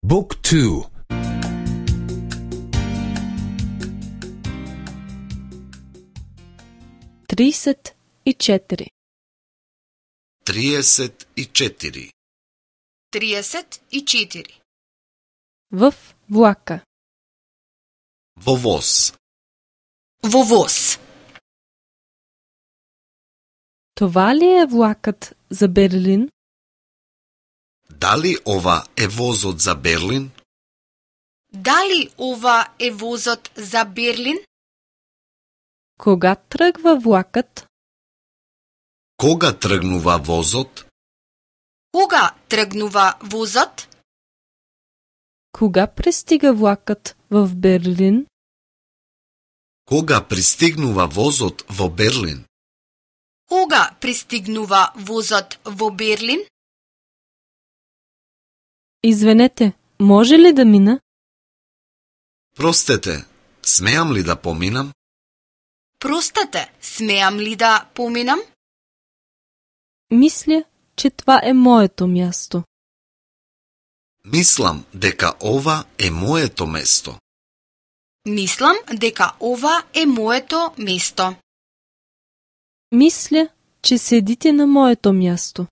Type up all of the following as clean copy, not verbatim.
Book 2. 34. 34. 34. В влака. Во воз. Во воз. Това ли е влакът за Берлин? Дали ова е возот за Берлин? Дали ова е возот за Берлин? Кога тръгва влакът? Кога тргнува возот? Кога тргнува возот? Кога пристига влакът в Берлин? Кога пристигнува возот во Берлин? Кога пристигнува возот во Берлин? Извинете, може ли да мина? Простете, смеам ли да поминам? Простете, смеам ли да поминам? Мисля, че това е моето място. Мислам дека ова е моето место. Мислам дека ова е моето место. Мисля, че седите на моето място.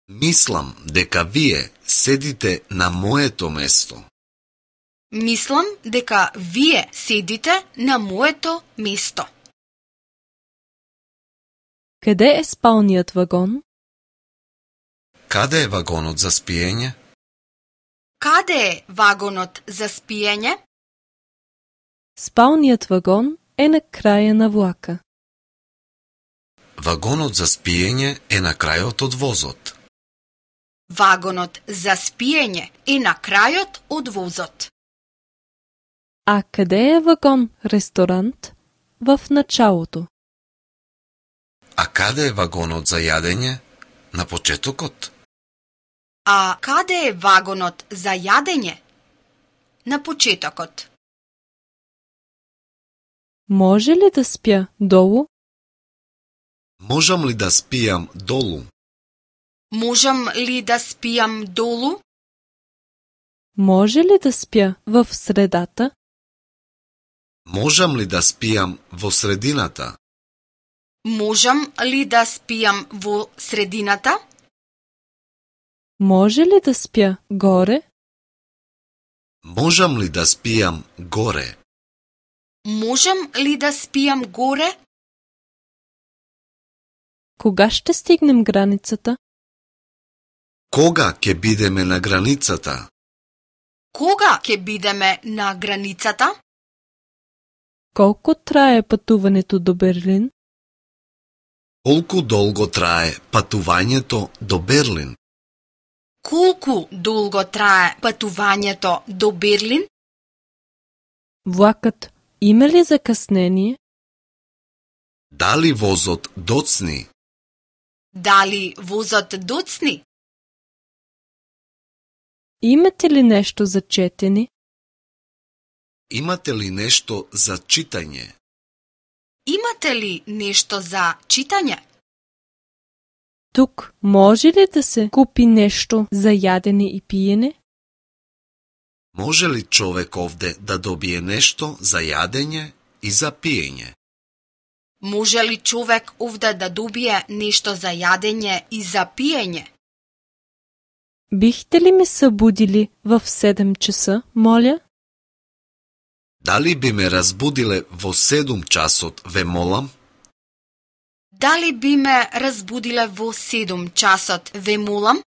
Мислам дека вие седите на моето место. Мислам дека вие седите на моето место. Къде е спалният вагон? Каде е вагонот за спиење? Каде е вагонот за спиење? Спалният вагон е на края на влака. Вагонот за спиење е на крајот од возот. Вагонот за спиење е на крајот од возот. А къде е вагон-ресторант? В началото. А каде е вагонот за јадење? На почетокот? А каде е вагонот за јадење? На почетокот. Може ли да спя долу? Можам ли да спијам долу? Можам ли да спијам долу? Може ли да спя в средата? Можам ли да спијам во средината? Можам ли да спијам во средината? Може ли да спя горе? Можам ли да спијам горе? Можам ли да спијам горе? Кога ще стигнем границата? Кога ќе бидеме на границата? Кога ќе бидеме на границата? Колко трае пътуването до Берлин? Колку долго трае патувањето до Берлин? Колку долго трае патувањето до Берлин? Влакът има ли закъснение? Дали возот доцни? Дали возот доцни? Имате ли нещо за четене? Имате ли нешто за читање? Имате ли нешто за читање? Тук може ли да се купи нещо за ядене и пиене? Може ли човек овде да добие нешто за јадење и за пиење? Може ли човек овде да добие нешто за јадење и за пиење? Бихте ли ме събудили в 7 часа, моля? Дали би ме разбудиле во 7 часот, ве молам? Дали би ме разбудиле во 7 часот, ве молам?